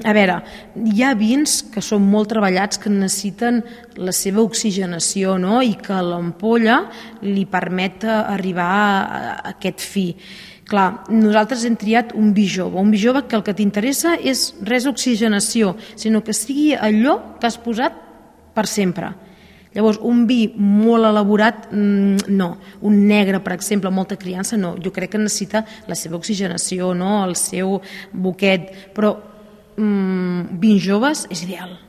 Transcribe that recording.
A veure, hi ha vins que són molt treballats, que necessiten la seva oxigenació, no? I que l'ampolla li permet arribar a aquest fi. Clar, nosaltres hem triat un vi jove que el que t'interessa és res d'oxigenació, sinó que sigui allò que has posat per sempre. Llavors, un vi molt elaborat, no. Un negre, per exemple, molta criança, no. Jo crec que necessita la seva oxigenació, no? El seu boquet, però vins joves és ideal.